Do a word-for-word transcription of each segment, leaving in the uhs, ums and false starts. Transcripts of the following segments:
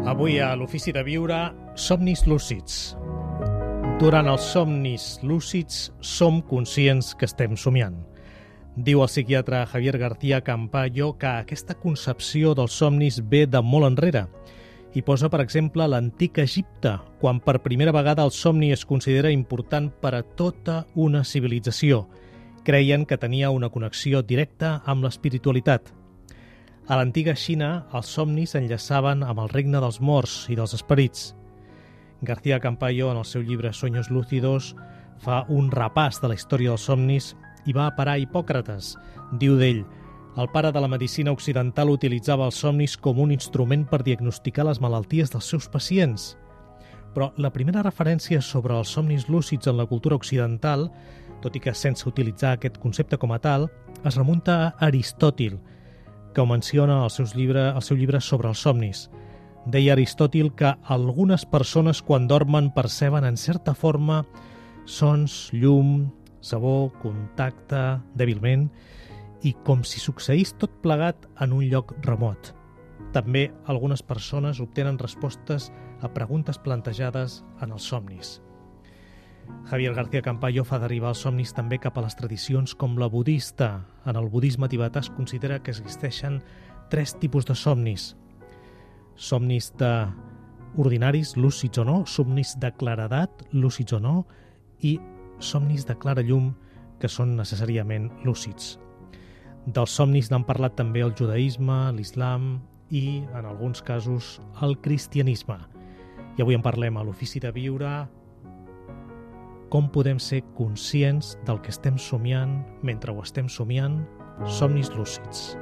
Avui a l'Ofici de Viure, somnis lúcids. Durant els somnis lúcids som conscients que estem somiant. Diu el psiquiatre Javier García Campayo que aquesta concepció dels somnis ve de molt enrere i posa, per exemple, l'antic Egipte, quan per primera vegada el somni es considera important per a tota una civilització. Creien que tenia una connexió directa amb l'espiritualitat. A l'antiga Xina, els somnis s'enllaçaven amb el regne dels morts i dels esperits. García Campayo, en el seu llibre Sueños lúcidos, fa un repàs de la història dels somnis i va a parar a Hipòcrates. Diu d'ell: el pare de la medicina occidental utilitzava els somnis com un instrument per diagnosticar les malalties dels seus pacients. Però la primera referència sobre els somnis lúcids en la cultura occidental, tot i que sense utilitzar aquest concepte com a tal, es remunta a Aristòtil, que ho menciona al, seus llibre, al seu llibre sobre els somnis. Deia Aristòtil que algunes persones quan dormen perceben en certa forma sons, llum, sabor, contacte, dèbilment, i com si succeís tot plegat en un lloc remot. També algunes persones obtenen respostes a preguntes plantejades en els somnis. Javier García Campayo fa derivar els somnis també cap a les tradicions com la budista. En el budisme tibetà es considera que existeixen tres tipus de somnis. Somnis de ordinaris, lúcids o no, somnis de claredat, lúcids o no, i somnis de clara llum, que són necessàriament lúcids. Dels somnis n'han parlat també el judaïsme, l'islam i, en alguns casos, el cristianisme. I avui en parlem a l'Ofici de Viure. Com podem ser conscients del que estem somiant mentre ho estem somiant? Somnis lúcids.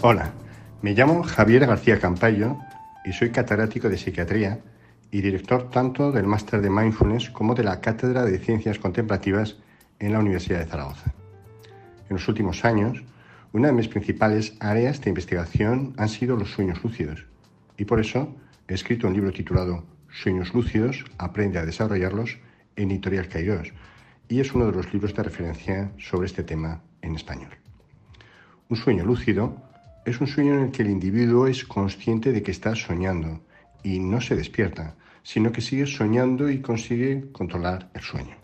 Hola, me llamo Javier García Campayo y soy catedrático de psiquiatría y director tanto del máster de Mindfulness como de la Cátedra de Ciencias Contemplativas en la Universidad de Zaragoza. En los últimos años, una de mis principales áreas de investigación han sido los sueños lúcidos y por eso he escrito un libro titulado Sueños lúcidos, aprende a desarrollarlos en Editorial Kairos, y es uno de los libros de referencia sobre este tema en español. Un sueño lúcido es un sueño en el que el individuo es consciente de que está soñando y no se despierta, sino que sigue soñando y consigue controlar el sueño.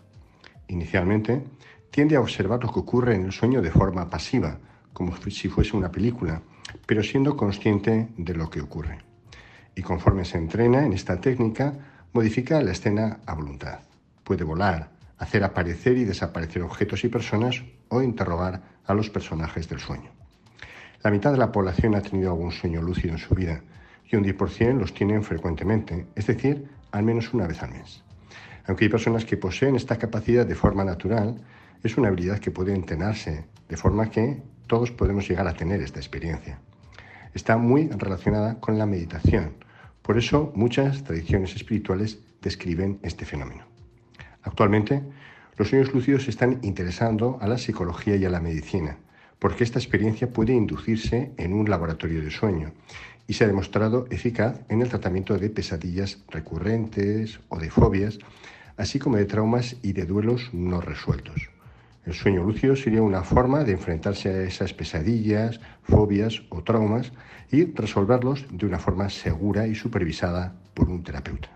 Inicialmente, tiende a observar lo que ocurre en el sueño de forma pasiva, como si fuese una película, pero siendo consciente de lo que ocurre. Y conforme se entrena en esta técnica, modifica la escena a voluntad. Puede volar, hacer aparecer y desaparecer objetos y personas o interrogar a los personajes del sueño. La mitad de la población ha tenido algún sueño lúcido en su vida y un diez por ciento los tienen frecuentemente, es decir, al menos una vez al mes. Aunque hay personas que poseen esta capacidad de forma natural, es una habilidad que puede entrenarse, de forma que todos podemos llegar a tener esta experiencia. Está muy relacionada con la meditación, por eso muchas tradiciones espirituales describen este fenómeno. Actualmente, los sueños lúcidos se están interesando a la psicología y a la medicina, porque esta experiencia puede inducirse en un laboratorio de sueño y se ha demostrado eficaz en el tratamiento de pesadillas recurrentes o de fobias, así como de traumas y de duelos no resueltos. El sueño lúcido sería una forma de enfrentarse a esas pesadillas, fobias o traumas y resolverlos de una forma segura y supervisada por un terapeuta.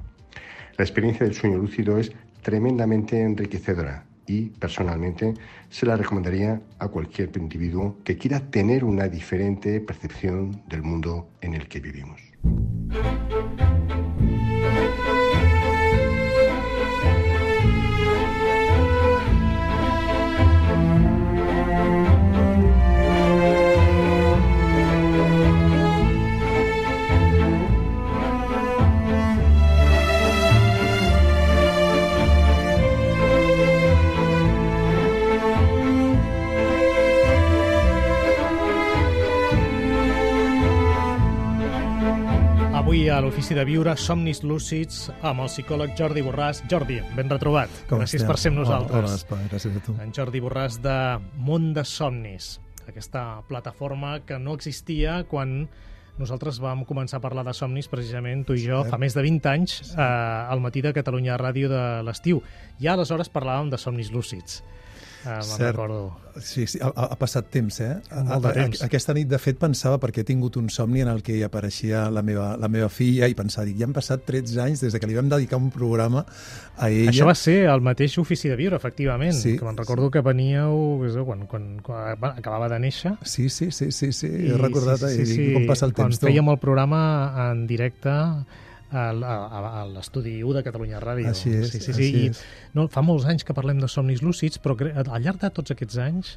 La experiencia del sueño lúcido es tremendamente enriquecedora y, personalmente, se la recomendaría a cualquier individuo que quiera tener una diferente percepción del mundo en el que vivimos. Avui a l'Ofici de Viure, somnis lúcids amb el psicòleg Jordi Borràs. Jordi, ben retrobat. Com Gràcies estem? per ser amb nosaltres. Hola, Espai, gràcies a tu. En Jordi Borràs de Món de Somnis, aquesta plataforma que no existia quan Nosaltres vam començar a parlar de somnis precisament, tu i jo, fa més de vint anys, eh, al matí de Catalunya Ràdio de l'estiu. Ja aleshores parlàvem de somnis lúcids. Ah, me'n recordo. Sí, sí, ha, ha passat temps, eh? Molt de temps. Aquesta nit, de fet, pensava, perquè he tingut un somni en el que hi apareixia la meva, la meva filla, i pensava, dic, ja han passat tretze anys des de que li vam dedicar un programa a ella. Això va ser el mateix Ofici de Viure, efectivament, sí, que me'n recordo sí. que veníeu quan, quan, quan acabava de néixer. Sí, sí, sí, sí, sí. he recordat sí, sí, sí, sí, com passa el temps. Quan fèiem el programa en directe a l'estudi u de Catalunya Ràdio. Així és, sí, sí, així sí. és. I, no, fa molts anys que parlem de somnis lúcids, però al llarg de tots aquests anys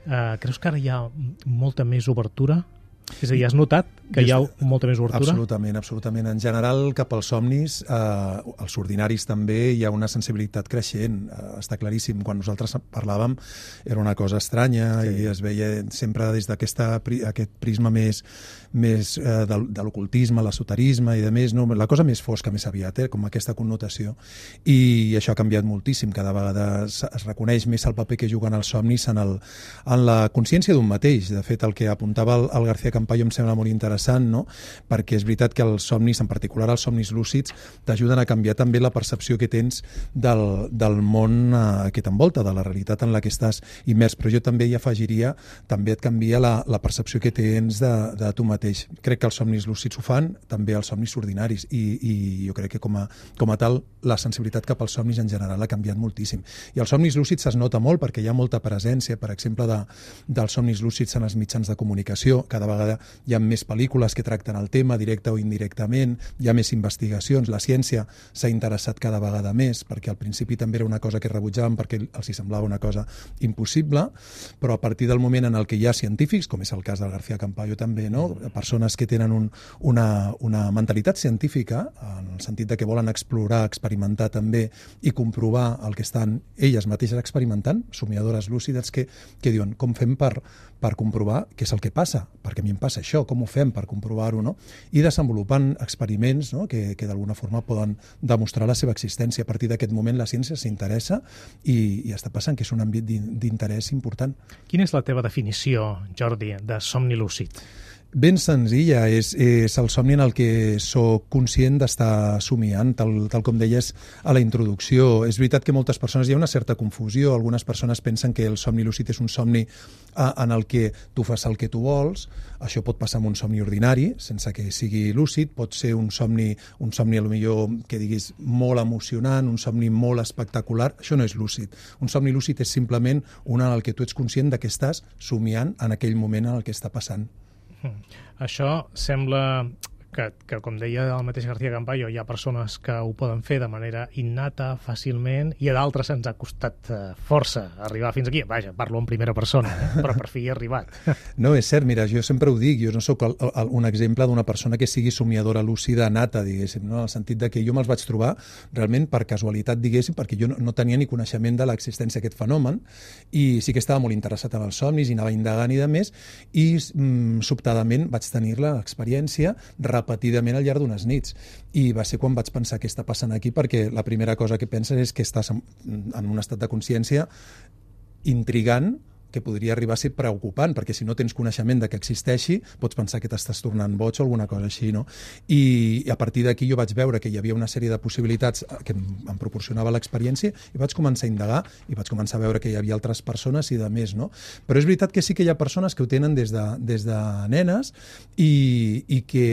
eh, creus que ara hi ha molta més obertura? És a dir, has notat que hi ha molta més obertura? Absolutament, absolutament. En general, cap als somnis, eh, els ordinaris també, hi ha una sensibilitat creixent. Eh, està claríssim. Quan nosaltres parlàvem era una cosa estranya, sí. i es veia sempre des d'aquest prisma més, més eh, de, de l'ocultisme, l'esoterisme i de més, no? La cosa més fosca, més aviat, eh? com aquesta connotació. I això ha canviat moltíssim. Cada vegada es, es reconeix més el paper que juguen els somnis en, el, en la consciència d'un mateix. De fet, el que apuntava el, el García Campayo em sembla molt interessant, no? Perquè és veritat que els somnis, en particular els somnis lúcids, t'ajuden a canviar també la percepció que tens del, del món eh, que t'envolta, de la realitat en la que estàs immers. Però jo també hi afegiria, també et canvia la, la percepció que tens de, de tu mateix. Crec que els somnis lúcids ho fan, també els somnis ordinaris, i, i jo crec que com a, com a tal la sensibilitat cap als somnis en general ha canviat moltíssim. I els somnis lúcids es nota molt perquè hi ha molta presència, per exemple, de, dels somnis lúcids en els mitjans de comunicació. Cada vegada hi ha més pel·lícules que tracten el tema, directe o indirectament, hi ha més investigacions, la ciència s'ha interessat cada vegada més, perquè al principi també era una cosa que rebutjaven perquè els hi semblava una cosa impossible, però a partir del moment en el que hi ha científics, com és el cas del García Campayo també, no? Persones que tenen un, una, una mentalitat científica, en el sentit de que volen explorar, experimentar també i comprovar el que estan elles mateixes experimentant, somiadores lúcides que, que diuen com fem per, per comprovar què és el que passa, perquè a mi em passa això, com ho fem per comprovar-ho, no? I desenvolupant experiments, no? que, que d'alguna forma poden demostrar la seva existència. A partir d'aquest moment la ciència s'interessa i, i està passant que és un àmbit d'interès important. Quina és la teva definició, Jordi, de somni lúcid? Ben senzilla, és, és el somni en el que sóc conscient d'estar somiant, tal, tal com deies a la introducció. És veritat que moltes persones hi ha una certa confusió, algunes persones pensen que el somni lúcid és un somni a, en el que tu fas el que tu vols, això pot passar amb un somni ordinari, sense que sigui lúcid, pot ser un somni, un somni a lo millor que diguis molt emocionant, un somni molt espectacular, això no és lúcid. Un somni lúcid és simplement un en el que tu ets conscient de que estàs somiant en aquell moment en el que està passant. Això sembla que, que, com deia el mateix García Campayo, hi ha persones que ho poden fer de manera innata, fàcilment, i a d'altres ens ha costat uh, força arribar fins aquí. Vaja, parlo en primera persona, eh? Però per fi he arribat. No, és cert, mira, jo sempre ho dic, jo no sóc el, el, un exemple d'una persona que sigui somiadora lúcida nata, diguéssim, no? En el sentit de que jo me'ls vaig trobar realment per casualitat, diguéssim, perquè jo no, no tenia ni coneixement de l'existència d'aquest fenomen, i sí que estava molt interessat en els somnis i anava indagant i de més, i mm, sobtadament vaig tenir l'experiència repetidament al llarg d'unes nits. I va ser quan vaig pensar què està passant aquí, perquè la primera cosa que penses és que estàs en, en un estat de consciència intrigant, que podria arribar a ser preocupant, perquè si no tens coneixement de que existeixi, pots pensar que t'estàs tornant boig o alguna cosa així, no? I, i a partir d'aquí jo vaig veure que hi havia una sèrie de possibilitats que em, em proporcionava l'experiència i vaig començar a indagar i vaig començar a veure que hi havia altres persones i de més, no? Però és veritat que sí que hi ha persones que ho tenen des de, des de nenes i, i que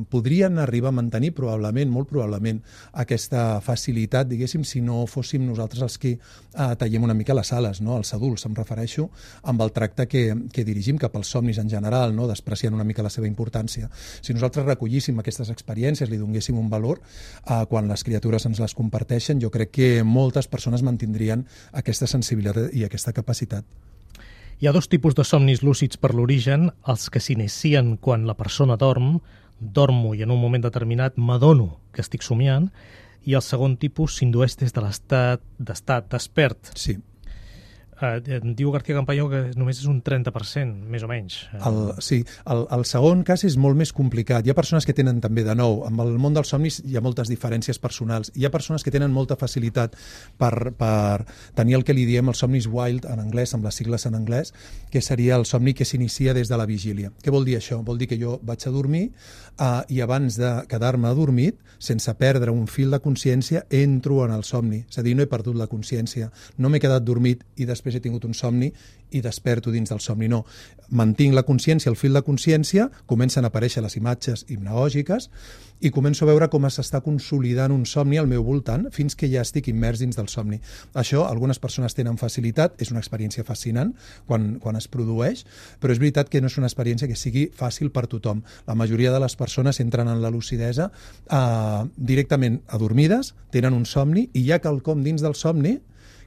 podrien arribar a mantenir probablement, molt probablement, aquesta facilitat, diguéssim, si no fóssim nosaltres els que eh, tallem una mica les ales, no? Els adults, em refereixo, amb el tracte que, que dirigim cap als somnis en general, no? Despreciant una mica la seva importància. Si nosaltres recollíssim aquestes experiències, li donéssim un valor, eh, quan les criatures ens les comparteixen, jo crec que moltes persones mantindrien aquesta sensibilitat i aquesta capacitat. Hi ha dos tipus de somnis lúcids per l'origen, els que s'inicien quan la persona dorm, dormo i en un moment determinat m'adono que estic somiant, i el segon tipus s'indueix des de l'estat d'estat despert. Sí. Eh, diu García Campayo que només és un trenta per cent, més o menys. El, sí, el, el segon cas és molt més complicat. Hi ha persones que tenen també, de nou, amb el món dels somnis hi ha moltes diferències personals. Hi ha persones que tenen molta facilitat per, per tenir el que li diem els somnis wild en anglès, amb les sigles en anglès, que seria el somni que s'inicia des de la vigília. Què vol dir això? Vol dir que jo vaig a dormir eh, i abans de quedar-me adormit, sense perdre un fil de consciència, entro en el somni. És a dir, no he perdut la consciència, no m'he quedat dormit i després he tingut un somni i desperto dins del somni. No, mantinc la consciència, el fil de consciència, comencen a aparèixer les imatges hipnagògiques i començo a veure com s'està consolidant un somni al meu voltant fins que ja estic immers dins del somni. Això, algunes persones tenen facilitat, és una experiència fascinant quan, quan es produeix, però és veritat que no és una experiència que sigui fàcil per tothom. La majoria de les persones entren en la lucidesa eh, directament adormides, tenen un somni i hi ha quelcom dins del somni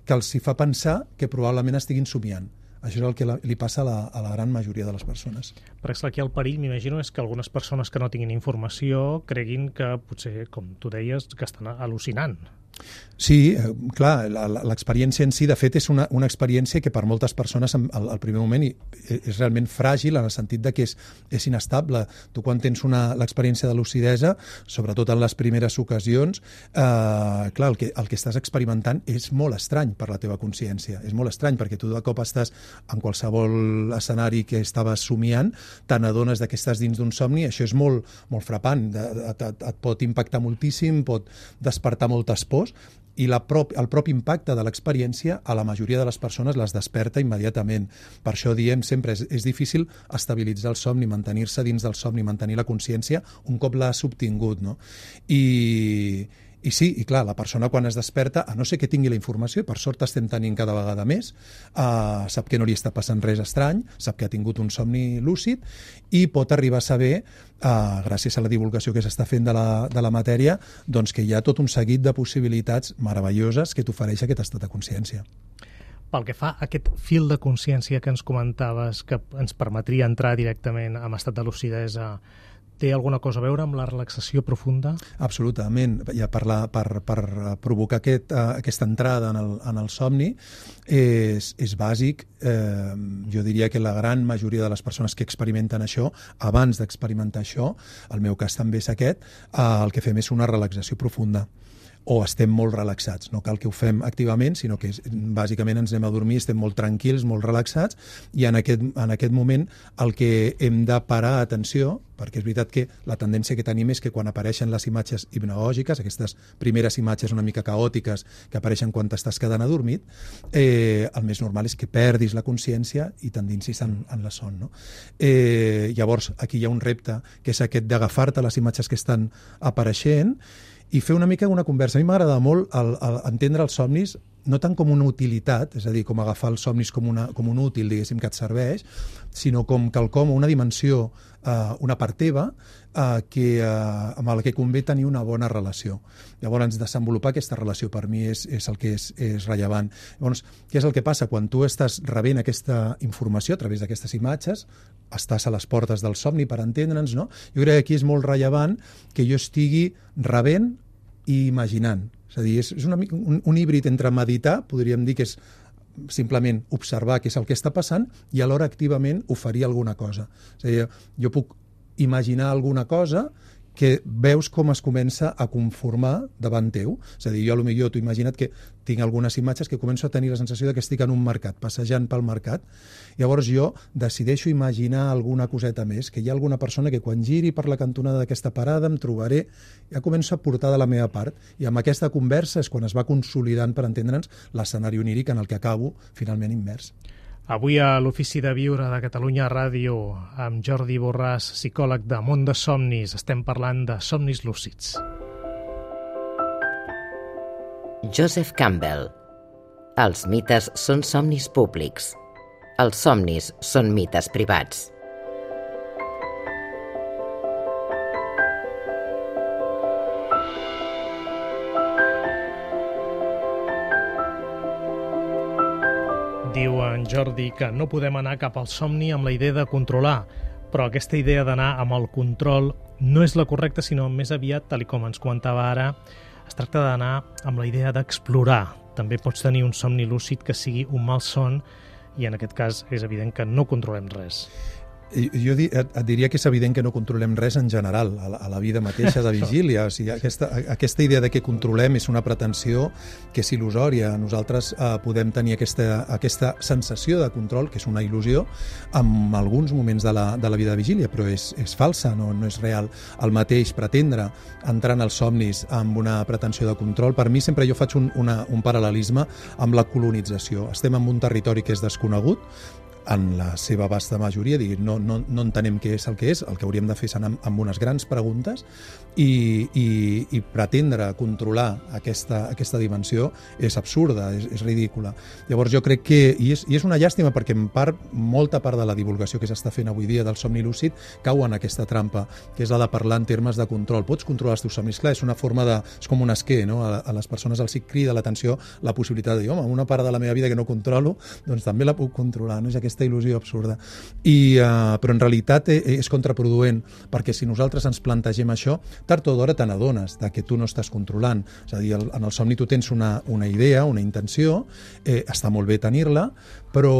que els hi fa pensar que probablement estiguin somiant. Això és el que li passa a la, a la gran majoria de les persones. Perquè aquí el perill, m'imagino, és que algunes persones que no tinguin informació creguin que potser, com tu deies, que estan al·lucinant. Sí, eh, clar, l'experiència en si, de fet, és una, una experiència que per moltes persones al, al primer moment és realment fràgil en el sentit de que és, és inestable. Tu quan tens l'experiència de lucidesa, sobretot en les primeres ocasions, eh, clar, el que, el que estàs experimentant és molt estrany per la teva consciència. És molt estrany perquè tu de cop estàs en qualsevol escenari que estaves somiant, te n'adones que estàs dins d'un somni, això és molt, molt frapant, et, et, et pot impactar moltíssim, pot despertar moltes pors, i la prop, el propi impacte de l'experiència a la majoria de les persones les desperta immediatament. Per això diem sempre, és, és difícil estabilitzar el somni, mantenir-se dins del somni, mantenir la consciència un cop l'has obtingut, no? I... I sí, i clar, la persona quan es desperta, a no ser que tingui la informació, i per sort estem tenint cada vegada més, eh, sap que no li està passant res estrany, sap que ha tingut un somni lúcid i pot arribar a saber, eh, gràcies a la divulgació que s'està fent de la, de la matèria, doncs que hi ha tot un seguit de possibilitats meravelloses que t'ofereix aquest estat de consciència. Pel que fa a aquest fil de consciència que ens comentaves, que ens permetria entrar directament en estat de lucidesa, té alguna cosa a veure amb la relaxació profunda? Absolutament. Ja per, la, per, per provocar aquest, uh, aquesta entrada en el, en el somni és, és bàsic. Eh, jo diria que la gran majoria de les persones que experimenten això, abans d'experimentar això, el meu cas també és aquest, uh, el que fem és una relaxació profunda. O estem molt relaxats. No cal que ho fem activament, sinó que és, bàsicament ens anem a dormir, estem molt tranquils, molt relaxats, i en aquest, en aquest moment el que hem de parar atenció, perquè és veritat que la tendència que tenim és que quan apareixen les imatges hipnagògiques, aquestes primeres imatges una mica caòtiques que apareixen quan t'estàs quedant adormit, eh, el més normal és que perdis la consciència i t'endinsis en, en la son. No? Eh, llavors, aquí hi ha un repte, que és aquest d'agafar-te les imatges que estan apareixent i fer una mica una conversa. A mi m'agrada molt el, el, entendre els somnis no tant com una utilitat, és a dir, com agafar els somnis com, una, com un útil, diguéssim, que et serveix, sinó com quelcom, una dimensió, eh, una part teva, eh, que, eh, amb la que convé tenir una bona relació. Llavors, desenvolupar aquesta relació per mi és, és el que és, és rellevant. Llavors, què és el que passa? Quan tu estàs rebent aquesta informació a través d'aquestes imatges, estàs a les portes del somni, per entendre'ns, no? Jo crec que aquí és molt rellevant que jo estigui rebent i imaginant. És a dir, és, és una, un, un híbrid entre meditar, podríem dir que és simplement observar què és el que està passant i alhora activament oferir alguna cosa. És a dir, jo puc imaginar alguna cosa que veus com es comença a conformar davant teu. És a dir, jo potser t'ho imagina't que tinc algunes imatges que començo a tenir la sensació de que estic en un mercat, passejant pel mercat. Llavors jo decideixo imaginar alguna coseta més, que hi ha alguna persona que quan giri per la cantonada d'aquesta parada em trobaré, ja començo a portar de la meva part. I amb aquesta conversa és quan es va consolidant, per entendre'ns, l'escenari oníric en el que acabo finalment immers. Avui a l'Ofici de Viure de Catalunya Ràdio, amb Jordi Borràs, psicòleg de Món de Somnis, estem parlant de somnis lúcids. Joseph Campbell. Els mites són somnis públics. Els somnis són mites privats. Diu en Jordi que no podem anar cap al somni amb la idea de controlar, però aquesta idea d'anar amb el control no és la correcta, sinó més aviat, tal com ens comentava ara, es tracta d'anar amb la idea d'explorar, també pots tenir un somni lúcid que sigui un mal son i en aquest cas és evident que no controlem res. Jo et, et diria que és evident que no controlem res en general, a la, a la vida mateixa de vigília. O sigui, aquesta, aquesta idea de que controlem és una pretensió que és il·lusòria. Nosaltres eh, podem tenir aquesta, aquesta sensació de control, que és una il·lusió, en alguns moments de la, de la vida de vigília, però és, és falsa, no, no és real. El mateix pretendre entrar en els somnis amb una pretensió de control, per mi sempre jo faig un, una, un paral·lelisme amb la colonització. Estem en un territori que és desconegut, en la seva vasta majoria, digui, no, no, no entenem què és el que és, el que hauríem de fer és anar amb unes grans preguntes i, i, i pretendre controlar aquesta, aquesta dimensió és absurda, és, és ridícula. Llavors jo crec que, i és, i és una llàstima perquè en part, molta part de la divulgació que s'està fent avui dia del somni lúcid cau en aquesta trampa, que és la de parlar en termes de control. Pots controlar els teus somnis? Clar, és una forma de... és com un esquer, no? A, a les persones els crida l'atenció la possibilitat de dir, home, una part de la meva vida que no controlo, doncs també la puc controlar, no? És aquesta il·lusió absurda. I, uh, però en realitat és contraproduent, perquè si nosaltres ens plantegem això, tard o d'hora te n'adones de que tu no estàs controlant. És a dir, en el somni tu tens una, una idea, una intenció, eh, està molt bé tenir-la, però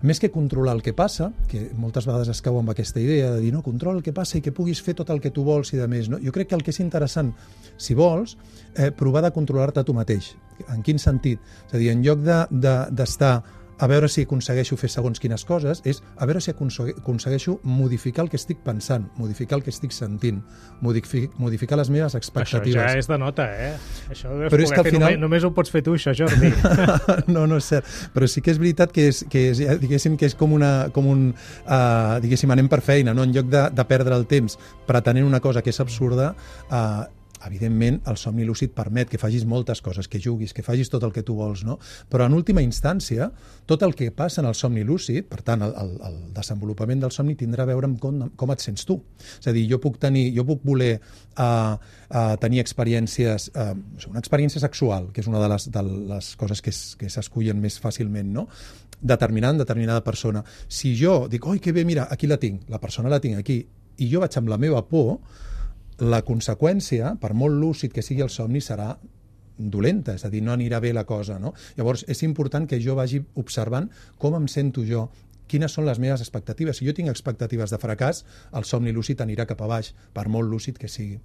més que controlar el que passa, que moltes vegades es cau amb aquesta idea de dir, no, controla el que passa i que puguis fer tot el que tu vols i de més, no? Jo crec que el que és interessant, si vols, eh, provar de controlar-te tu mateix. En quin sentit? És a dir, en lloc de, de, d'estar a veure si aconsegueixo fer segons quines coses, és a veure si aconsegueixo modificar el que estic pensant, modificar el que estic sentint, modificar les meves expectatives. Això ja és de nota, eh? Això ho deus però poder fer, final... només, només ho pots fer tu, això, Jordi. No, no és cert. Però sí que és veritat que és, que és, diguéssim, que és com, una, com un... Uh, diguéssim, anem per feina, no? En lloc de, de perdre el temps pretenent una cosa que és absurda, uh, evidentment, el somni lúcid permet que facis moltes coses, que juguis, que facis tot el que tu vols, no? Però en última instància, tot el que passa en el somni lúcid, per tant, el, el, el desenvolupament del somni tindrà a veure amb com, com et sents tu. És a dir, jo puc tenir, jo puc voler uh, uh, tenir experiències, uh, una experiència sexual, que és una de les, de les coses que, es, que s'escullen més fàcilment, no? Determinant determinada persona. Si jo dic, oi, que bé, mira, aquí la tinc, la persona la tinc aquí, i jo vaig amb la meva por, la conseqüència, per molt lúcid que sigui el somni, serà dolenta, és a dir, no anirà bé la cosa, no? Llavors, és important que jo vagi observant com em sento jo, quines són les meves expectatives. Si jo tinc expectatives de fracàs, el somni lúcid anirà cap a baix, per molt lúcid que sigui.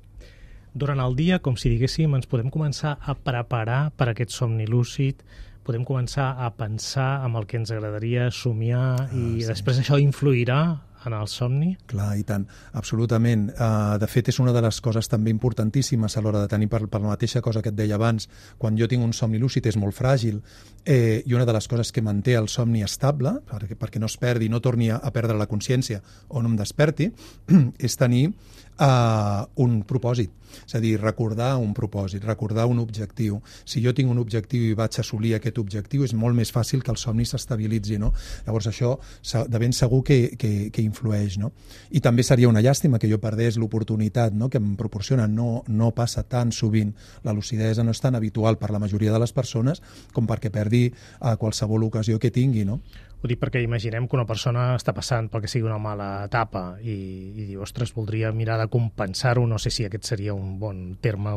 Durant el dia, com si diguéssim, ens podem començar a preparar per aquest somni lúcid, podem començar a pensar amb el que ens agradaria somiar i ah, sí. Després això influirà en el somni? Clar, i tant, absolutament. Uh, de fet, és una de les coses també importantíssimes a l'hora de tenir, per, per la mateixa cosa que et deia abans, quan jo tinc un somni lúcid és molt fràgil, eh, i una de les coses que manté el somni estable, perquè, perquè no es perdi, no torni a, a perdre la consciència o no em desperti, és tenir uh, un propòsit. És a dir, recordar un propòsit, recordar un objectiu. Si jo tinc un objectiu i vaig assolir aquest objectiu, és molt més fàcil que el somni s'estabilitzi, no? Llavors això de ben segur que, que, que influeix, no? I també seria una llàstima que jo perdés l'oportunitat, no?, que em proporciona. No, no passa tan sovint. La lucidesa no és tan habitual per la majoria de les persones com perquè perdi a qualsevol ocasió que tingui, no? Ho dic perquè imaginem que una persona està passant pel que sigui una mala etapa i, i diu, ostres, voldria mirar de compensar-ho, no sé si aquest seria un bon terme,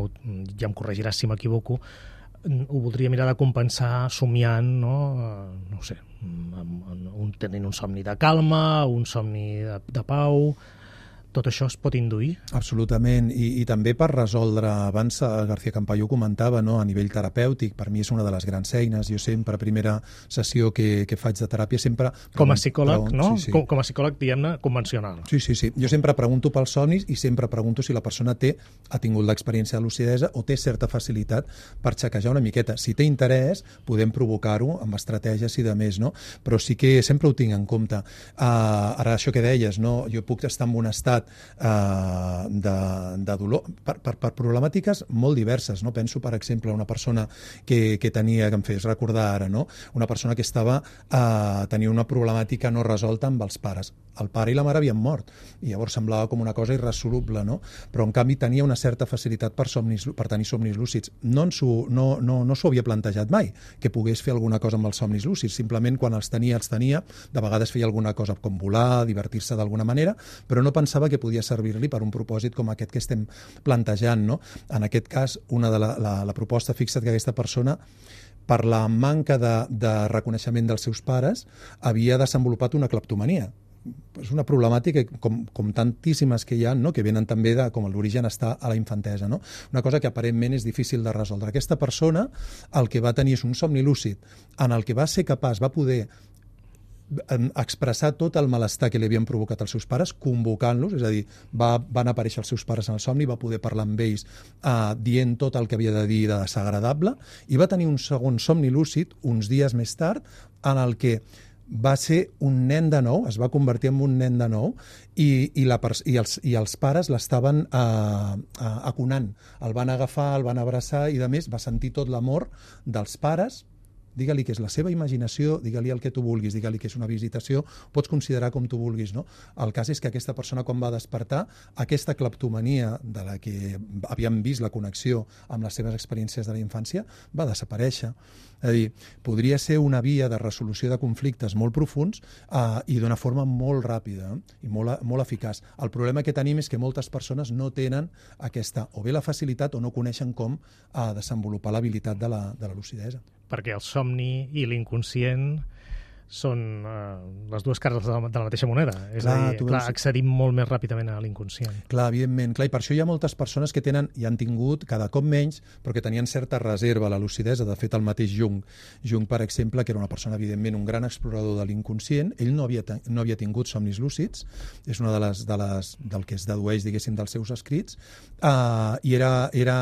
ja em corregiràs si m'equivoco, ho voldria mirar de compensar somiant, no, no ho sé, un, tenint un somni de calma, un somni de, de pau... Tot això es pot induir? Absolutament, I, i també per resoldre, abans García Campallo comentava, no, a nivell terapèutic, per mi és una de les grans eines, jo sempre, primera sessió que, que faig de teràpia, sempre... Com a psicòleg, pregunto, no? Sí, sí. Com, com a psicòleg, diguem-ne, convencional. Sí, sí, sí. Jo sempre pregunto pels somnis i sempre pregunto si la persona té, ha tingut l'experiència de lucidesa o té certa facilitat per xequejar una miqueta. Si té interès, podem provocar-ho amb estratègies i de més, no? Però sí que sempre ho tinc en compte. Uh, ara, això que deies, no? Jo puc estar en un estat Uh, de, de dolor per, per, per problemàtiques molt diverses, no? Penso, per exemple, una persona que, que tenia, que em fes recordar ara, no? Una persona que estava uh, tenia una problemàtica no resolta amb els pares. El pare i la mare havien mort i llavors semblava com una cosa irresoluble, no? Però en canvi tenia una certa facilitat per, somnis, per tenir somnis lúcids. No s'ho no, no, no s'ho havia plantejat mai, que pogués fer alguna cosa amb els somnis lúcids. Simplement quan els tenia, els tenia, de vegades feia alguna cosa com volar, divertir-se d'alguna manera, però no pensava que podia servir-li per un propòsit com aquest que estem plantejant, no? En aquest cas, una de la, la, la proposta, fixa't que aquesta persona per la manca de, de reconeixement dels seus pares, havia desenvolupat una cleptomania. És una problemàtica com, com tantíssimes que hi ha, no? Que venen també de com l'origen està a la infantesa. No? Una cosa que aparentment és difícil de resoldre. Aquesta persona el que va tenir és un somni lúcid en el que va ser capaç, va poder expressar tot el malestar que li havien provocat els seus pares, convocant-los, és a dir, va, van aparèixer els seus pares en el somni, va poder parlar amb ells eh, dient tot el que havia de dir de desagradable, i va tenir un segon somni lúcid uns dies més tard en el que va ser un nen de nou, es va convertir en un nen de nou, i, i, la, i, els, i els pares l'estaven eh, eh, aconant. El van agafar, el van abraçar i, a més, va sentir tot l'amor dels pares. Digue-li que és la seva imaginació, digue-li el que tu vulguis, digue-li que és una visitació, pots considerar com tu vulguis, no? El cas és que aquesta persona, quan va despertar, aquesta cleptomania de la que havíem vist la connexió amb les seves experiències de la infància, va desaparèixer. És a dir, podria ser una via de resolució de conflictes molt profuns eh, i d'una forma molt ràpida eh? i molt, molt eficaç. El problema que tenim és que moltes persones no tenen aquesta, o bé la facilitat o no coneixen com eh, desenvolupar l'habilitat de la, de la lucidesa. Perquè el somni i l'inconscient són eh, les dues cares de la, de la mateixa moneda. És clar, a dir, clar, veus... accedim molt més ràpidament a l'inconscient. Clar, evidentment. Clar, i per això hi ha moltes persones que tenen i han tingut cada cop menys, però que tenien certa reserva a la lucidesa. De fet, el mateix Jung. Jung, per exemple, que era una persona, evidentment, un gran explorador de l'inconscient, ell no havia, no havia tingut somnis lúcids, és una de les, de les, del que es dedueix, diguéssim, dels seus escrits, uh, i era... era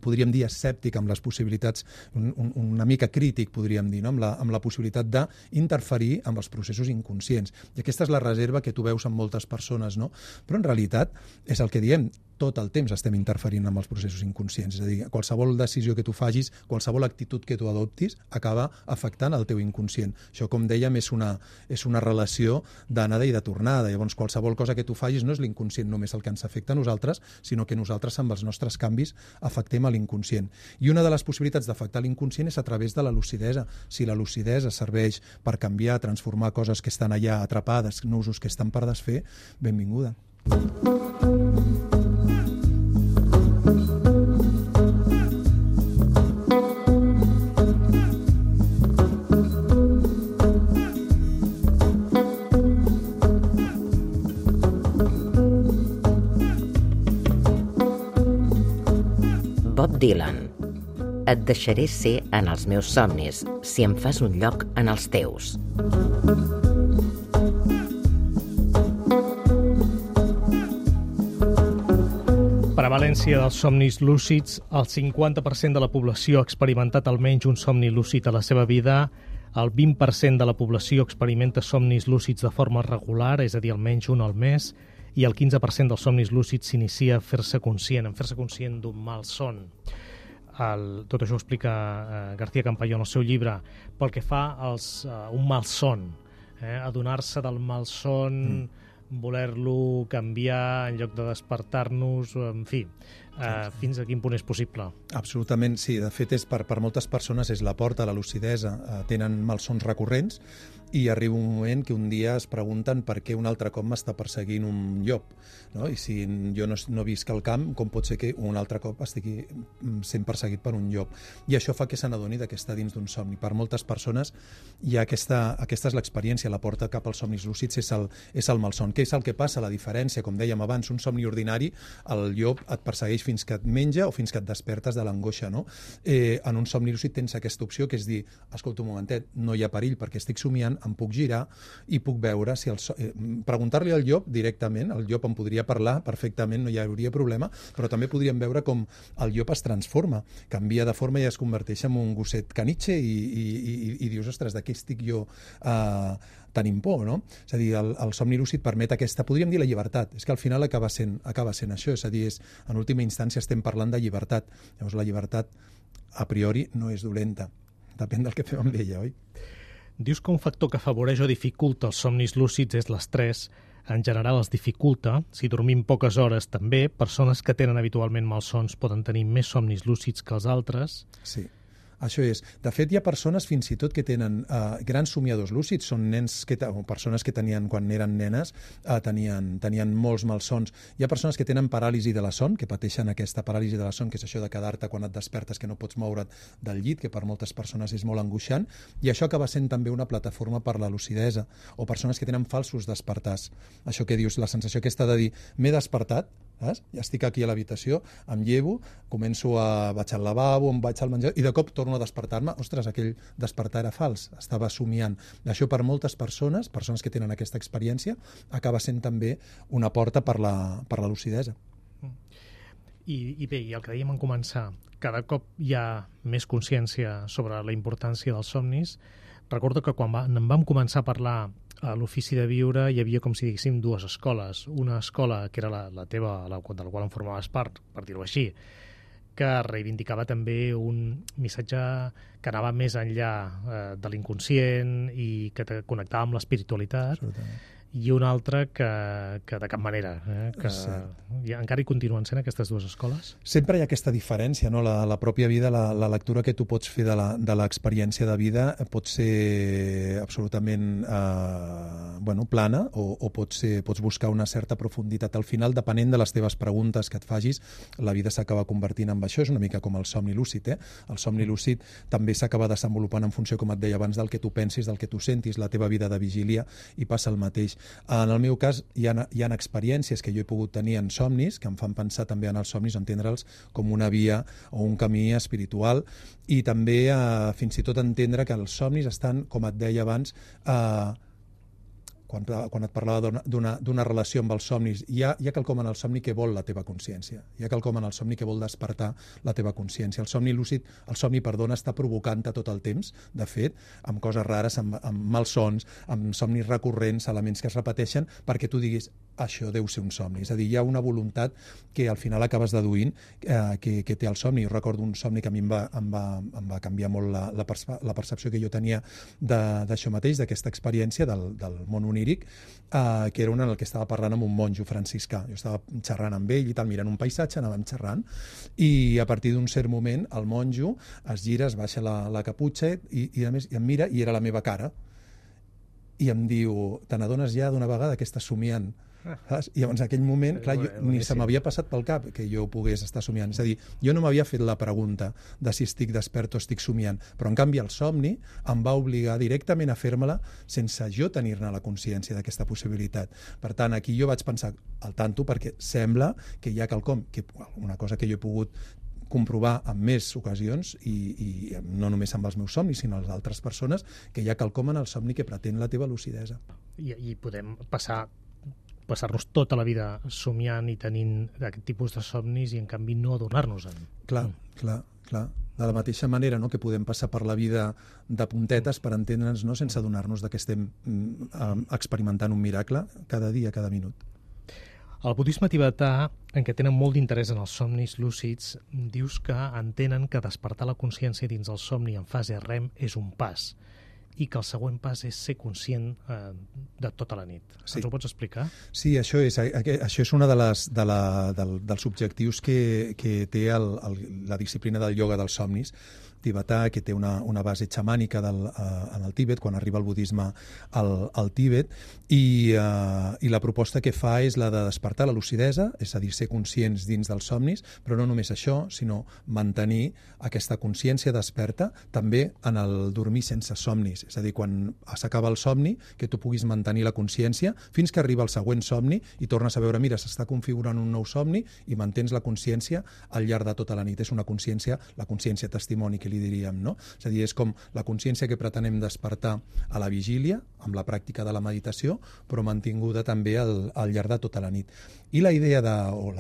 podríem dir, escèptic amb les possibilitats, un, un, una mica crític, podríem dir, no? amb, la, amb la possibilitat d'interferir amb els processos inconscients. I aquesta és la reserva que tu veus en moltes persones, no? Però en realitat és el que diem, tot el temps estem interferint amb els processos inconscients. És a dir, qualsevol decisió que tu facis, qualsevol actitud que tu adoptis, acaba afectant el teu inconscient. Això, com dèiem, és una, és una relació d'anada i de tornada. Llavors, qualsevol cosa que tu facis no és l'inconscient només el que ens afecta a nosaltres, sinó que nosaltres, amb els nostres canvis, afectem a l'inconscient. I una de les possibilitats d'afectar l'inconscient és a través de la lucidesa. Si la lucidesa serveix per canviar, transformar coses que estan allà atrapades, nusos que estan per desfer, benvinguda. Bob Dylan. Et deixaré ser en els meus somnis si em fas un lloc en els teus. Prevalència dels somnis lúcids. El cinquanta per cent de la població ha experimentat almenys un somni lúcid a la seva vida. El vint per cent de la població experimenta somnis lúcids de forma regular, és a dir, almenys un al mes, i el quinze per cent dels somnis lúcids s'inicia a fer-se conscient, en fer-se conscient d'un malson. El, tot això ho explica eh, García Campayó en el seu llibre. Pel que fa als, uh, un malson, eh, adonar-se del malson, mm. voler-lo canviar en lloc de despertar-nos, en fi, eh, fins a quin punt és possible? Absolutament, sí. De fet, és per, per moltes persones és la porta a la lucidesa. Eh, tenen malsons recurrents i arriba un moment que un dia es pregunten per què un altre cop m'està perseguint un llop, no? I si jo no, no visc al camp, com pot ser que un altre cop estigui sent perseguit per un llop? I això fa que se n'adoni que està dins d'un somni. Per moltes persones hi ha aquesta, aquesta és l'experiència, la porta cap als somnis lúcids és el, és el malson. Què és el que passa? La diferència, com dèiem abans, un somni ordinari, el llop et persegueix fins que et menja o fins que et despertes de l'angoixa, no? Eh, en un somni lúcid tens aquesta opció que és dir, escolta un momentet, no hi ha perill perquè estic somiant, em puc girar i puc veure si el so... eh, preguntar-li al llop directament, el llop em podria parlar perfectament, no hi hauria problema, però també podríem veure com el llop es transforma, canvia de forma i es converteix en un gosset canitxe i, i, i, i dius, ostres, de què estic jo eh, tenint por, no? És a dir, el, el somni lúcid permet aquesta, podríem dir la llibertat, és que al final acaba sent, acaba sent això, és a dir, és, en última instància estem parlant de llibertat, llavors la llibertat a priori no és dolenta, depèn del que fem amb ella, oi? Dius que un factor que afavoreix o dificulta els somnis lúcids és l'estrès. En general els dificulta. Si dormim poques hores també, persones que tenen habitualment malsons poden tenir més somnis lúcids que els altres. Sí. Això és. De fet, hi ha persones fins i tot que tenen uh, grans somiadors lúcids, són nens que, o persones que tenien, quan eren nenes, uh, tenien, tenien molts malsons. Hi ha persones que tenen paràlisi de la son, que pateixen aquesta paràlisi de la son, que és això de quedar-te quan et despertes que no pots moure't del llit, que per moltes persones és molt angoixant, i això acaba sent també una plataforma per la lucidesa, o persones que tenen falsos despertars. Això que dius, la sensació aquesta de dir, m'he despertat, saps? Ja estic aquí a l'habitació, em llevo, començo a... vaig al lavabo, em vaig al menjar, i de cop torno a despertar-me. Ostres, aquell despertar era fals, estava somiant. Això per moltes persones, persones que tenen aquesta experiència, acaba sent també una porta per la, per la lucidesa. I, I bé, i el que dèiem en començar, cada cop hi ha més consciència sobre la importància dels somnis. Recordo que quan va, en vam començar a parlar a l'Ofici de Viure hi havia, com si diguéssim, dues escoles. Una escola, que era la, la teva, la, de la qual en formaves part, per dir-ho així, que reivindicava també un missatge que anava més enllà eh, de l'inconscient i que te connectava amb l'espiritualitat. Absolutament. I una altra que, que de cap manera, eh? que ja, encara hi continuen sent aquestes dues escoles? Sempre hi ha aquesta diferència, no? La, la pròpia vida, la, la lectura que tu pots fer de l'experiència de, de vida pot ser absolutament eh, bueno, plana o, o pot ser, pots buscar una certa profunditat. Al final, depenent de les teves preguntes que et facis, la vida s'acaba convertint en això. És una mica com el somni lúcid. Eh? El somni lúcid també s'acaba desenvolupant en funció, com et deia abans, del que tu pensis, del que tu sentis, la teva vida de vigília, i passa el mateix. En el meu cas, hi ha, hi ha experiències que jo he pogut tenir en somnis, que em fan pensar també en els somnis, entendre'ls com una via o un camí espiritual, i també eh, fins i tot entendre que els somnis estan, com et deia abans, eh, quan, quan et parlava d'una relació amb els somnis, hi ha, hi ha quelcom en el somni que vol la teva consciència, hi ha quelcom en el somni que vol despertar la teva consciència. El somni lúcid, el somni, perdona, està provocant-te tot el temps, de fet, amb coses rares, amb, amb malsons, amb somnis recurrents, elements que es repeteixen, perquè tu diguis, això deu ser un somni. És a dir, hi ha una voluntat que al final acabes deduint eh, que, que té el somni. Jo recordo un somni que a mi em va, em va, em va canviar molt la, la, perce la percepció que jo tenia d'això mateix, d'aquesta experiència del, del món oníric, eh, que era un en el que estava parlant amb un monjo franciscà. Jo estava xerrant amb ell i tal, mirant un paisatge, anàvem xerrant, i a partir d'un cert moment el monjo es gira, es baixa la, la caputxa i, i a més i em mira, i era la meva cara. I em diu, te n'adones ja d'una vegada que estàs somiant? Saps? I llavors en aquell moment, clar, jo, ni se m'havia passat pel cap que jo pogués estar somiant. És a dir, jo no m'havia fet la pregunta de si estic despert o estic somiant, però en canvi el somni em va obligar directament a fer-me-la sense jo tenir-ne la consciència d'aquesta possibilitat. Per tant, aquí jo vaig pensar al tanto, perquè sembla que hi ha quelcom, que, una cosa que jo he pogut comprovar en més ocasions, i, i no només amb els meus somnis, sinó amb les altres persones, que hi ha quelcom en el somni que pretén la teva lucidesa. I, i podem passar passar-nos tota la vida somiant i tenint aquest tipus de somnis i en canvi no adonar-nos-en. Clar, clar, clar. De la mateixa manera, no?, que podem passar per la vida de puntetes per entendre'ns, no?, sense adonar-nos que estem mm, experimentant un miracle cada dia, cada minut. El budisme tibetà, en què tenen molt d'interès en els somnis lúcids, dius que entenen que despertar la consciència dins el somni en fase REM és un pas, i que el següent pas és ser conscient eh, de tota la nit. Sí. Ens ho pots explicar? Sí, això és, això és un de les, de la, del, dels objectius que, que té el, el, la disciplina del ioga dels somnis tibetà, que té una, una base xamànica del, uh, en el Tíbet, quan arriba el budisme al, al Tíbet, i, uh, i la proposta que fa és la de despertar la lucidesa, és a dir, ser conscients dins dels somnis, però no només això, sinó mantenir aquesta consciència desperta també en el dormir sense somnis, és a dir, quan s'acaba el somni, que tu puguis mantenir la consciència fins que arriba el següent somni i tornes a veure, mira, s'està configurant un nou somni, i mantens la consciència al llarg de tota la nit. És una consciència, la consciència testimoni que li diríem, no? És a dir, és com la consciència que pretenem despertar a la vigília, amb la pràctica de la meditació, però mantinguda també al, al llarg de tota la nit. I la idea de, o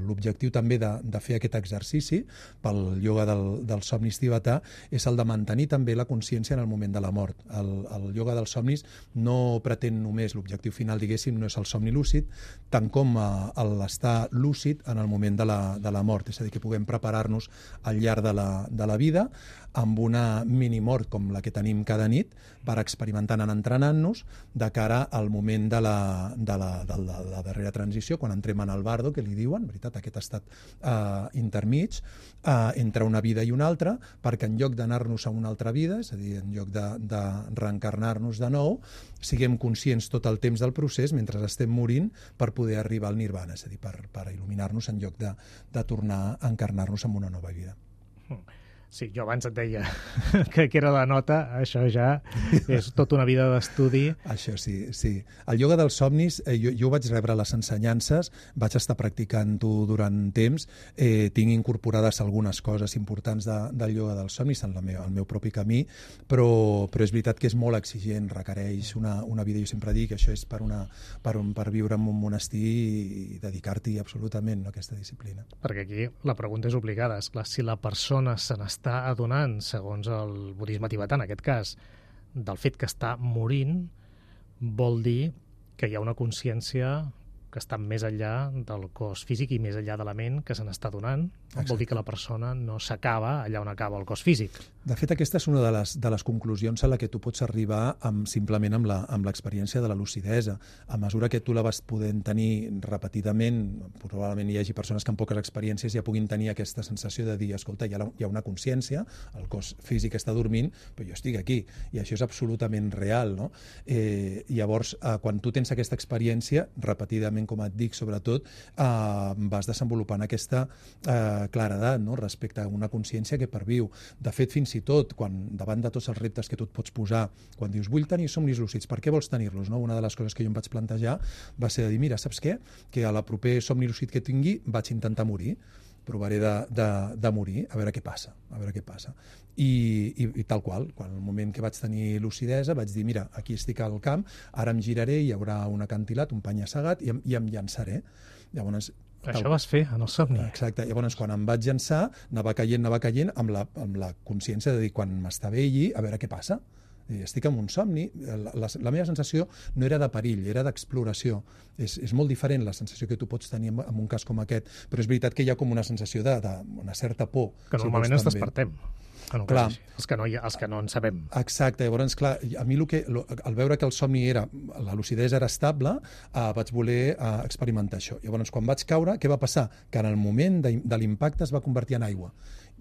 l'objectiu també de, de fer aquest exercici pel ioga del, dels somnis tibetà és el de mantenir també la consciència en el moment de la mort. El, el ioga dels somnis no pretén només, l'objectiu final, diguéssim, no és el somni lúcid, tant com l'estar lúcid en el moment de la, de la mort, és a dir, que puguem preparar-nos al llarg de la, de la vida vida, amb una minimort com la que tenim cada nit, per experimentar, anar entrenant-nos de cara al moment de la, de, la, de, la, de la darrera transició, quan entrem en el bardo, que li diuen, veritat, aquest estat eh, intermig, eh, entre una vida i una altra, perquè en lloc d'anar-nos a una altra vida, és a dir, en lloc de, de reencarnar-nos de nou, siguem conscients tot el temps del procés mentre estem morint per poder arribar al nirvana, és a dir, per, per il·luminar-nos en lloc de, de tornar a encarnar-nos en una nova vida. Sí, jo abans et deia que, que era la nota, això ja és tota una vida d'estudi. Això sí, sí. El ioga dels somnis, eh, jo, jo vaig rebre les ensenyances, vaig estar practicant-ho durant temps, eh, tinc incorporades algunes coses importants de, del ioga dels somnis en la meu, el meu propi camí, però, però és veritat que és molt exigent, requereix una, una vida, jo sempre dic que això és per, una, per, un, per viure en un monestir i dedicar-t'hi absolutament a aquesta disciplina. Perquè aquí la pregunta és obligada, és clar, si la persona se n'està està adonant, segons el budisme tibetà, en aquest cas, del fet que està morint, vol dir que hi ha una consciència que està més enllà del cos físic i més enllà de la ment que se n'està donant. Vol dir que la persona no s'acaba allà on acaba el cos físic. De fet, aquesta és una de les, de les conclusions a la que tu pots arribar amb, simplement amb la, amb l'experiència de la lucidesa. A mesura que tu la vas podent tenir repetidament, probablement hi hagi persones que amb poques experiències ja puguin tenir aquesta sensació de dir, escolta, hi ha, hi ha una consciència, el cos físic està dormint, però jo estic aquí, i això és absolutament real, no? Eh, llavors, eh, quan tu tens aquesta experiència, repetidament, com et dic, sobretot, eh, vas desenvolupant aquesta eh, claredat, no?, respecte a una consciència que perviu. De fet, fins i tot, quan davant de tots els reptes que tu et pots posar, quan dius, vull tenir somnis lúcids, per què vols tenir-los? No? Una de les coses que jo em vaig plantejar va ser de dir, mira, saps què? Que a la proper somni lúcid que tingui vaig intentar morir, provaré de, de, de morir, a veure què passa, a veure què passa. I, i, i tal qual, quan el moment que vaig tenir lucidesa vaig dir, mira, aquí estic al camp, ara em giraré, hi haurà un acantilat, un penya-segat, i, em, i em llançaré. Llavors, això tal... vas fer en el somni. Exacte. Llavors, quan em vaig llançar, anava caient, anava caient, amb la, amb la consciència de dir, quan m'estava allí, a veure què passa. Estic en un somni, la, la, la meva sensació no era de perill, era d'exploració. És, és molt diferent la sensació que tu pots tenir en, en un cas com aquest, però és veritat que hi ha com una sensació d'una certa por. Que normalment si ens despertem. En clar, els que, no hi ha, els que no en sabem. Exacte, llavors, clar, a mi lo que, lo, al veure que el somni era, la lucidesa era estable, eh, vaig voler eh, experimentar això. Llavors, quan vaig caure, què va passar? Que en el moment de, de l'impacte es va convertir en aigua.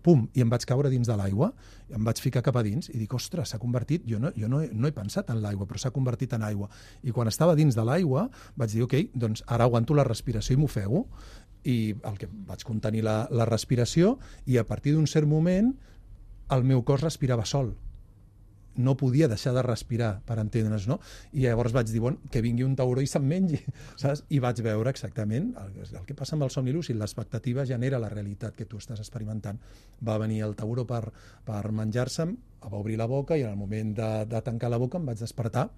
Pum, i em vaig caure dins de l'aigua, em vaig ficar cap a dins i dic, ostres, s'ha convertit, jo no, jo no, he, no he pensat en l'aigua, però s'ha convertit en aigua. I quan estava dins de l'aigua vaig dir, ok, doncs ara aguanto la respiració i m'ofego. I el que vaig contenir la, la respiració i a partir d'un cert moment el meu cos respirava sol. No podia deixar de respirar, per entendre's, no? I llavors vaig dir, bon, que vingui un tauró i se'm mengi, saps? I vaig veure exactament el, el que passa amb el somni lúcid. L'expectativa genera la realitat que tu estàs experimentant. Va venir el tauró per, per menjar-se'm, va obrir la boca i en el moment de, de tancar la boca em vaig despertar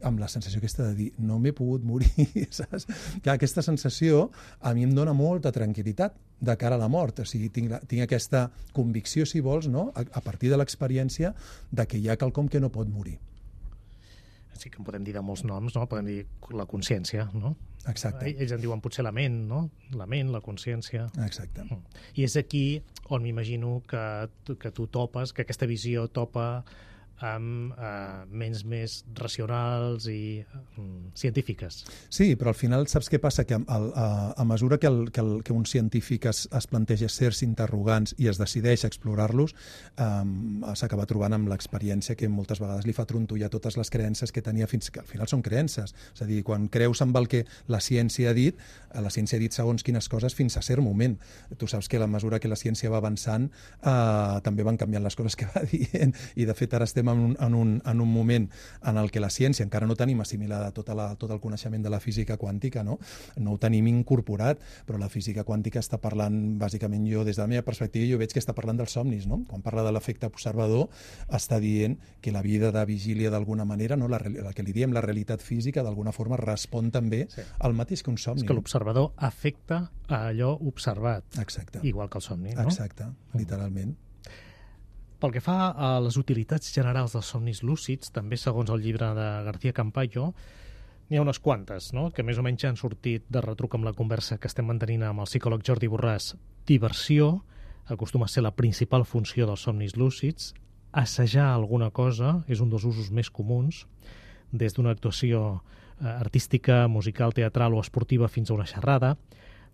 amb la sensació aquesta de dir, no m'he pogut morir, saps? Que aquesta sensació a mi em dona molta tranquil·litat de cara a la mort, o sigui, tinc, la, tinc aquesta convicció, si vols, no? a, a partir de l'experiència de que hi ha quelcom que no pot morir. Sí que en podem dir de molts noms, no? Podem dir la consciència, no? Exacte. Ells en diuen potser la ment, no? La ment, la consciència. Exacte. I és aquí on m'imagino que, que tu topes, que aquesta visió topa amb eh, ments més racionals i mm, científiques. Sí, però al final saps què passa? Que a, a, a mesura que, el, que, el, que un científic es, es planteja certs interrogants i es decideix a explorar-los, eh, s'acaba trobant amb l'experiència que moltes vegades li fa trontollar totes les creences que tenia fins que al final són creences. És a dir, quan creus amb el que la ciència ha dit, la ciència ha dit segons quines coses fins a cert moment. Tu saps que a la mesura que la ciència va avançant eh, també van canviant les coses que va dient i de fet ara estem en un, en, un, en un moment en el que la ciència encara no tenim assimilada tota la, tot el coneixement de la física quàntica, no? No ho tenim incorporat, però la física quàntica està parlant, bàsicament jo, des de la meva perspectiva, jo veig que està parlant dels somnis, no? Quan parla de l'efecte observador, està dient que la vida de vigília d'alguna manera, no? la, la que li diem la realitat física, d'alguna forma respon també sí. al mateix que un somni. És que l'observador afecta a allò observat. Exacte. Igual que el somni, no? Exacte, literalment. Pel que fa a les utilitats generals dels somnis lúcids, també segons el llibre de García Campayo, n'hi ha unes quantes, no? Que més o menys han sortit de retruc amb la conversa que estem mantenint amb el psicòleg Jordi Borràs. Diversió, acostuma a ser la principal funció dels somnis lúcids. Assajar alguna cosa és un dels usos més comuns, des d'una actuació eh, artística, musical, teatral o esportiva fins a una xerrada,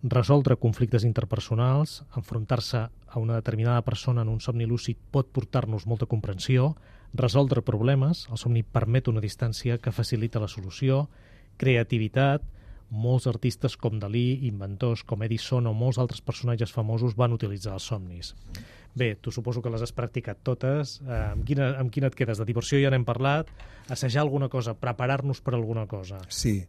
resoldre conflictes interpersonals, enfrontar-se a una determinada persona en un somni lúcid pot portar-nos molta comprensió, resoldre problemes, el somni permet una distància que facilita la solució, creativitat, molts artistes com Dalí, inventors com Edison o molts altres personatges famosos van utilitzar els somnis. Bé, tu suposo que les has practicat totes. Eh, amb, quina, amb quina et quedes? De diversió ja n'hem parlat. Assajar alguna cosa, preparar-nos per alguna cosa. Sí.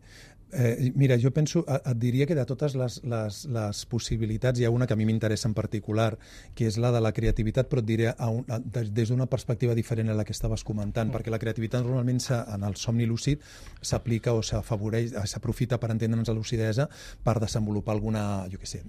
Eh, mira, jo penso, et diria que de totes les, les, les possibilitats hi ha una que a mi m'interessa en particular, que és la de la creativitat, però et diré a un, a, des d'una perspectiva diferent a la que estaves comentant, mm. perquè la creativitat normalment en el somni lúcid s'aplica o s'afavoreix, s'aprofita per entendre'ns la lucidesa per desenvolupar alguna, jo què sé,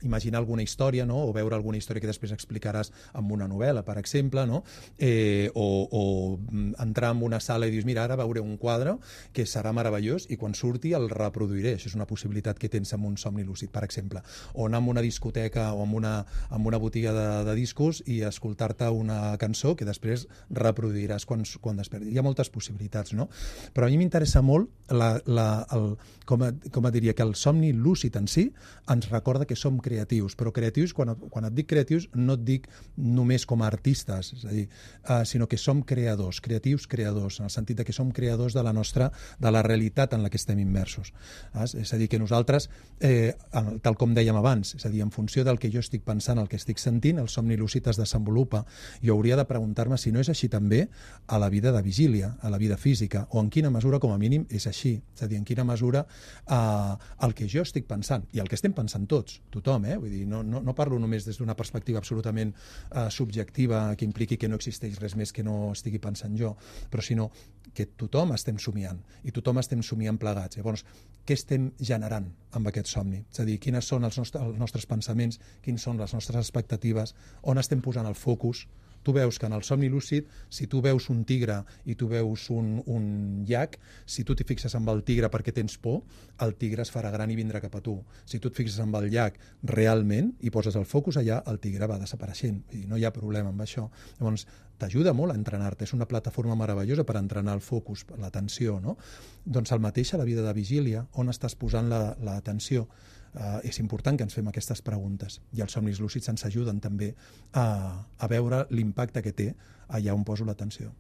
imaginar alguna història, no? O veure alguna història que després explicaràs amb una novel·la, per exemple, no? eh, o, o entrar en una sala i dius, mira, ara veuré un quadre que serà meravellós i quan surti el reproduiré. Això és una possibilitat que tens amb un somni lúcid, per exemple. O anar a una discoteca o en una, en una botiga de, de discos i escoltar-te una cançó que després reproduiràs quan, quan despertis. Hi ha moltes possibilitats, no? Però a mi m'interessa molt la, la, el, com, a, com a diria que el somni lúcid en si ens recorda que som creatius, però creatius, quan, quan et dic creatius, no et dic només com a artistes, és a dir, uh, sinó que som creadors, creatius creadors, en el sentit de que som creadors de la nostra, de la realitat en la que estem immersos. És a dir, que nosaltres, eh, tal com dèiem abans, és a dir, en funció del que jo estic pensant, el que estic sentint, el somni lúcid es desenvolupa. Jo hauria de preguntar-me si no és així també a la vida de vigília, a la vida física, o en quina mesura, com a mínim, és així. És a dir, en quina mesura eh, el que jo estic pensant, i el que estem pensant tots, tothom, eh? Vull dir, no, no, no parlo només des d'una perspectiva absolutament eh, subjectiva que impliqui que no existeix res més que no estigui pensant jo, però sinó que tothom estem somiant, i tothom estem somiant plegats. Llavors, què estem generant amb aquest somni? És a dir, quines són els nostres, els nostres pensaments, quines són les nostres expectatives, on estem posant el focus. Tu veus que en el somni lúcid, si tu veus un tigre i tu veus un, un llac, si tu t'hi fixes amb el tigre perquè tens por, el tigre es farà gran i vindrà cap a tu. Si tu et fixes amb el llac realment i poses el focus allà, el tigre va desapareixent. I no hi ha problema amb això. Llavors, t'ajuda molt a entrenar-te. És una plataforma meravellosa per entrenar el focus, l'atenció, no? Doncs el mateix a la vida de vigília, on estàs posant l'atenció. La, Uh, és important que ens fem aquestes preguntes, i els somnis lúcids ens ajuden també a, a veure l'impacte que té allà on poso l'atenció.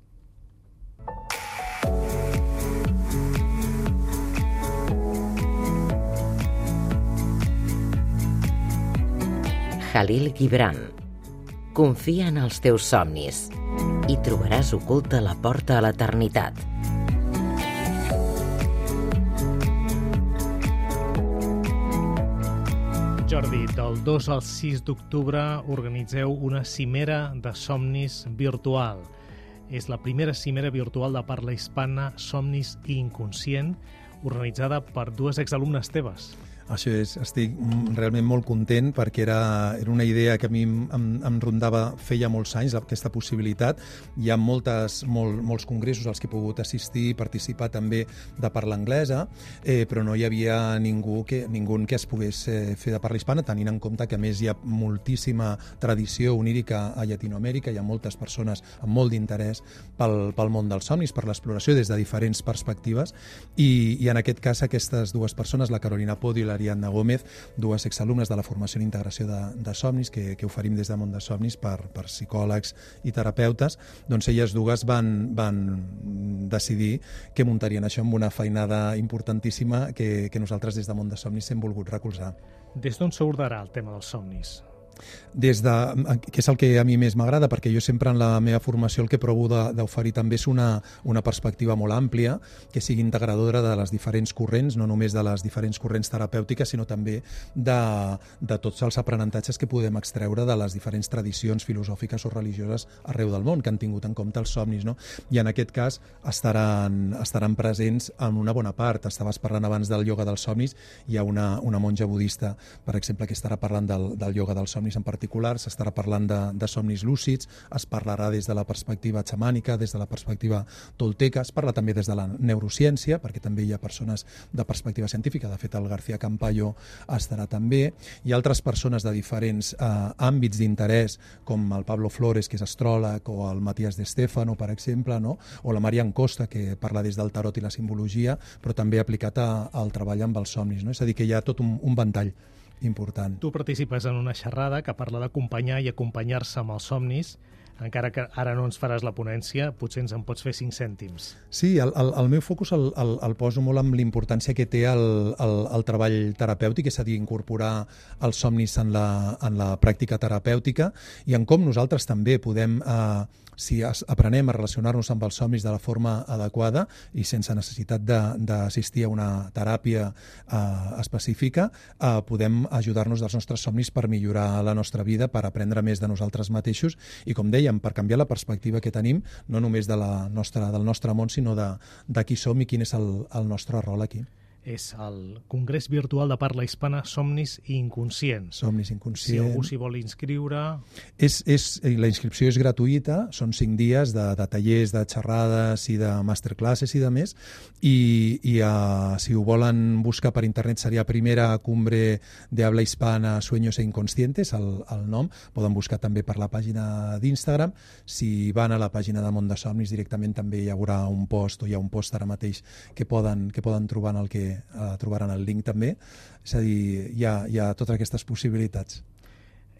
Khalil Gibran. Confia en els teus somnis i trobaràs oculta la porta a l'eternitat. Jordi, del dos al sis d'octubre organitzeu una cimera de somnis virtual. És la primera cimera virtual de parla hispana Somnis i Inconscient, organitzada per dues exalumnes teves. Això és, estic realment molt content perquè era, era una idea que a mi em, em rondava feia molts anys, aquesta possibilitat. Hi ha moltes, molt, molts congressos als que he pogut assistir i participar també de parla anglesa, eh, però no hi havia ningú que, ningú que es pogués eh, fer de parla hispana, tenint en compte que a més hi ha moltíssima tradició onírica a Llatinoamèrica, hi ha moltes persones amb molt d'interès pel, pel món dels somnis, per l'exploració des de diferents perspectives, i, i en aquest cas aquestes dues persones, la Carolina Podio i la Ariadna Gómez, dues exalumnes de la formació en integració de, de somnis que, que oferim des de Món de Somnis per, per psicòlegs i terapeutes, doncs elles dues van, van decidir que muntarien això amb una feinada importantíssima que, que nosaltres des de Món de Somnis hem volgut recolzar. Des d'on s'abordarà el tema dels somnis? Des de, que és el que a mi més m'agrada, perquè jo sempre en la meva formació el que provo d'oferir també és una, una perspectiva molt àmplia, que sigui integradora de les diferents corrents, no només de les diferents corrents terapèutiques, sinó també de, de tots els aprenentatges que podem extreure de les diferents tradicions filosòfiques o religioses arreu del món, que han tingut en compte els somnis, no? I en aquest cas estaran, estaran presents en una bona part. Estaves parlant abans del ioga dels somnis, hi ha una, una monja budista, per exemple, que estarà parlant del, del ioga dels somnis, somnis en particular, s'estarà parlant de, de somnis lúcids, es parlarà des de la perspectiva xamànica, des de la perspectiva tolteca, es parla també des de la neurociència, perquè també hi ha persones de perspectiva científica, de fet el García Campayo estarà també, hi ha altres persones de diferents eh, àmbits d'interès, com el Pablo Flores, que és astròleg, o el Matías de Stefano, per exemple, no? O la Marian Costa, que parla des del tarot i la simbologia, però també aplicat a, al treball amb els somnis, no? És a dir, que hi ha tot un, un ventall important. Tu participes en una xerrada que parla d'acompanyar i acompanyar-se amb els somnis, encara que ara no ens faràs la ponència, potser ens en pots fer cinc cèntims. Sí, el, el, el meu focus el, el, el poso molt amb l'importància que té el, el, el treball terapèutic, és a dir, incorporar els somnis en la, en la pràctica terapèutica i en com nosaltres també podem, eh, si aprenem a relacionar-nos amb els somnis de la forma adequada i sense necessitat d'assistir a una teràpia eh, específica, eh, podem ajudar-nos dels nostres somnis per millorar la nostra vida, per aprendre més de nosaltres mateixos i, com dèiem, per canviar la perspectiva que tenim, no només de la nostra, del nostre món, sinó de, de qui som i quin és el, el nostre rol aquí. És el Congrés Virtual de Parla Hispana Somnis Inconscients. Somnis Inconscients. Si algú s'hi vol inscriure... És, és, la inscripció és gratuïta, són cinc dies de, de tallers, de xerrades i de masterclasses i de més, i, i uh, si ho volen buscar per internet seria Primera Cumbre de Habla Hispana Sueños e Inconscientes, el, el nom, poden buscar també per la pàgina d'Instagram. Si van a la pàgina de Món de Somnis directament també hi haurà un post, o hi ha un post ara mateix que poden, que poden trobar en el que Uh, trobaran el link també, és a dir, hi ha, hi ha totes aquestes possibilitats.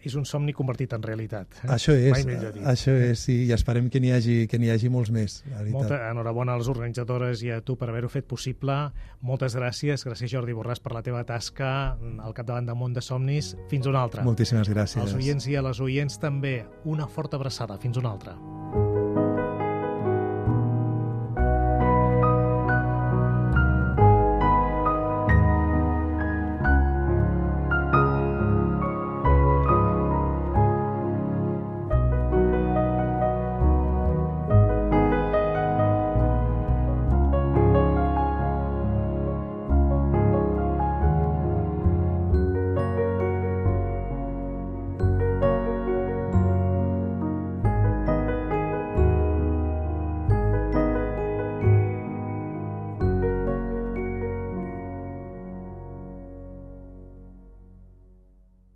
És un somni convertit en realitat. Eh? Això és, Mai millor dit. això és, sí, i esperem que n'hi hagi, que n'hi hagi molts més. Molta enhorabona a les organitzadores i a tu per haver-ho fet possible. Moltes gràcies, gràcies Jordi Borràs per la teva tasca al capdavant de Món de Somnis. Fins una altra. Moltíssimes gràcies. Als oients i a les oients també, una forta abraçada. Fins una altra.